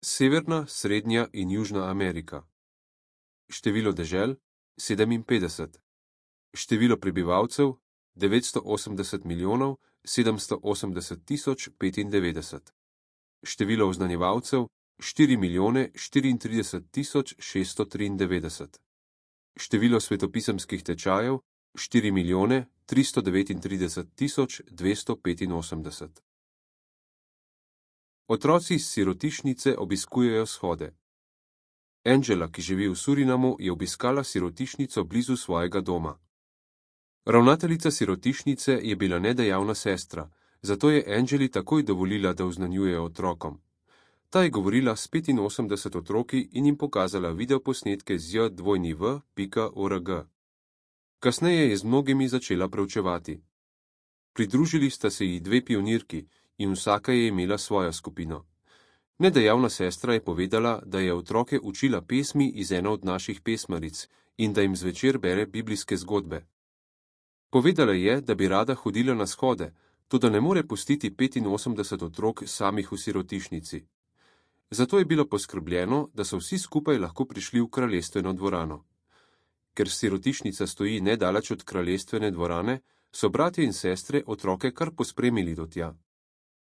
Severna, Srednja in Južna Amerika. Število dežel 57. Število prebivalcev 980 milijonov 780 tisoč 95. Število oznanjevalcev 4 milijone 34 tisoč 693. Število svetopisemskih tečajev 4 milijone 339 tisoč 285. Otroci iz sirotišnice obiskujejo shode. Angela, ki živi v Surinamu, je obiskala sirotišnico blizu svojega doma. Ravnateljica sirotišnice je bila nedejavna sestra, zato je Angeli takoj dovolila, da oznanjuje otrokom. Ta je govorila s 85 otroki in jim pokazala videoposnetke z j2v.org. Kasneje je z mnogimi začela preučevati. Pridružili sta se ji dve pionirki in vsaka je imela svojo skupino. Nedejavna sestra je povedala, da je otroke učila pesmi iz ene od naših pesmaric in da jim zvečer bere biblijske zgodbe. Povedala je, da bi rada hodila na shode, toda ne more pustiti 85 otrok samih v sirotišnici. Zato je bilo poskrbljeno, da so vsi skupaj lahko prišli v kraljestveno dvorano. Ker sirotišnica stoji nedaleč od kraljestvene dvorane, so bratje in sestre otroke kar pospremili do tja.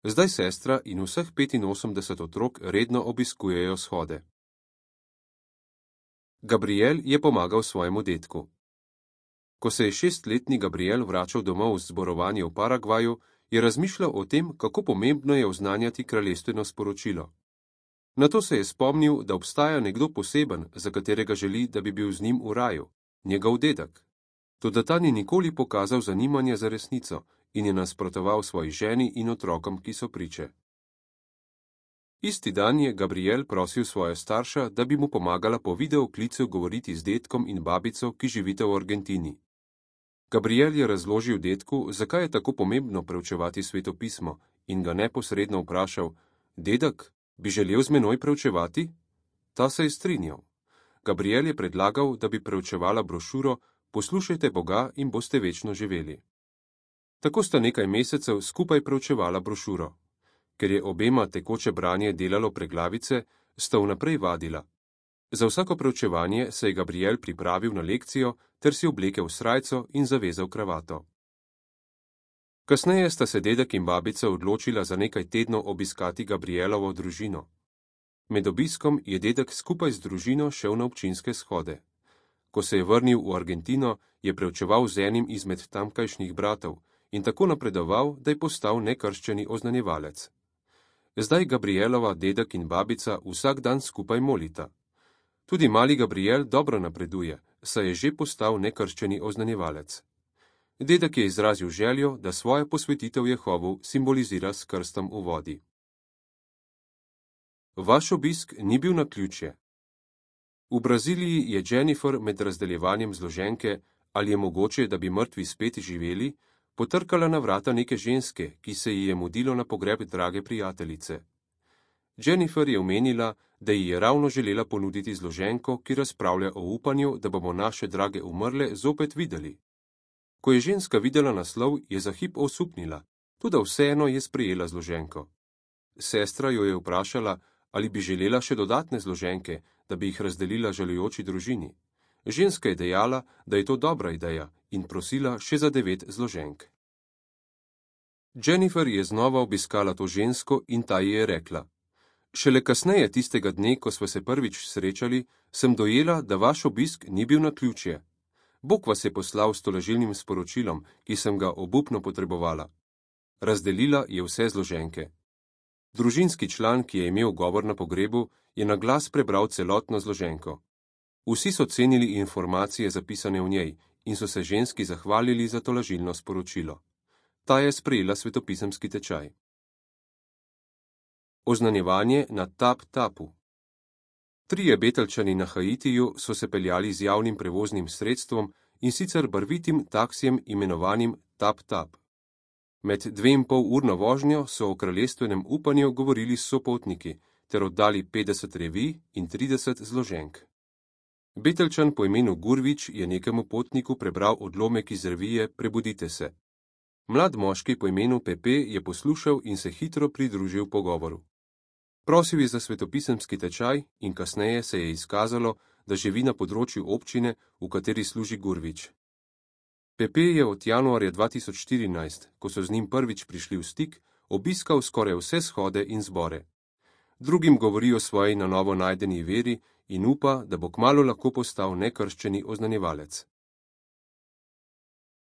Zdaj sestra in vseh 85 otrok redno obiskujejo shode. Gabriel je pomagal svojemu dedku. Ko se je 6-letni Gabriel vračal domov z zborovanja v Paragvaju, je razmišljal o tem, kako pomembno je oznanjati kraljestveno sporočilo. Nato se je spomnil, da obstaja nekdo poseben, za katerega želi, da bi bil z njim v raju, njegov dedek. Toda ta ni nikoli pokazal zanimanja za resnico in je nasprotoval svoji ženi in otrokom, ki so priče. Isti dan je Gabriel prosil svoje starša, da bi mu pomagala po videoklicu govoriti z dedkom in babico, ki živita v Argentini. Gabriel je razložil dedku, zakaj je tako pomembno preučevati svetopismo, in ga neposredno vprašal: Dedek, bi želel z menoj preučevati? Ta se je strinjal. Gabriel je predlagal, da bi preučevala brošuro Poslušajte Boga in boste večno živeli. Tako sta nekaj mesecev skupaj preučevala brošuro. Ker je obema tekoče branje delalo preglavice, sta vnaprej vadila. Za vsako preučevanje se je Gabriel pripravil na lekcijo ter si oblekel srajco in zavezal kravato. Kasneje sta se dedek in babica odločila za nekaj tednov obiskati Gabrielovo družino. Med obiskom je dedek skupaj z družino šel na občinske shode. Ko se je vrnil v Argentino, je preučeval z enim izmed tamkajšnjih bratov in tako napredoval, da je postal nekrščeni oznanjevalec. Zdaj Gabrielova dedek in babica vsak dan skupaj molita. Tudi mali Gabriel dobro napreduje, saj je že postal nekrščeni oznanjevalec. Dedek je izrazil željo, da svojo posvetitev Jehovu simbolizira s krstom v vodi. Vaš obisk ni bil naključje. V Braziliji je Jennifer med razdeljevanjem zloženke Ali je mogoče, da bi mrtvi spet živeli, potrkala na vrata neke ženske, ki se ji je mudilo na pogreb drage prijateljice. Jennifer je omenila, da ji je ravno želela ponuditi zloženko, ki razpravlja o upanju, da bomo naše drage umrle zopet videli. Ko je ženska videla naslov, je za hip osupnila, toda vseeno je sprejela zloženko. Sestra jo je vprašala, ali bi želela še dodatne zloženke, da bi jih razdelila žalujoči družini. Ženska je dejala, da je to dobra ideja in prosila še za 9 zloženk. Jennifer je znova obiskala to žensko in ta ji je rekla: Šele kasneje tistega dne, ko sva se prvič srečali, sem dojela, da vaš obisk ni bil naključje. Bog vas je poslal s tolažilnim sporočilom, ki sem ga obupno potrebovala. Razdelila je vse zloženke. Družinski član, ki je imel govor na pogrebu, je na glas prebral celotno zloženko. Vsi so cenili informacije zapisane v njej in so se ženski zahvalili za tolažilno sporočilo. Ta je sprejela svetopisemski tečaj. Oznanjevanje na Tap-Tapu. 3 Beteljčani na Haitiju so se peljali z javnim prevoznim sredstvom in sicer barvitim taksijem imenovanim Tap-Tap. Med 2,5-urno vožnjo so o kraljestvenem upanju govorili s sopotniki ter oddali 50 revij in 30 zloženk. Beteljčan po imenu Gurvič je nekemu potniku prebral odlomek iz revije Prebudite se. Mlad moški po imenu Pepe je poslušal in se hitro pridružil pogovoru. Prosil je za svetopisemski tečaj in kasneje se je izkazalo, da živi na področju občine, v kateri služi Gurvič. Pepe je od januarja 2014, ko so z njim prvič prišli v stik, obiskal skoraj vse shode in zbore. Drugim govori o svoji na novo najdeni veri in upa, da bo kmalu lahko postal nekrščeni oznanjevalec.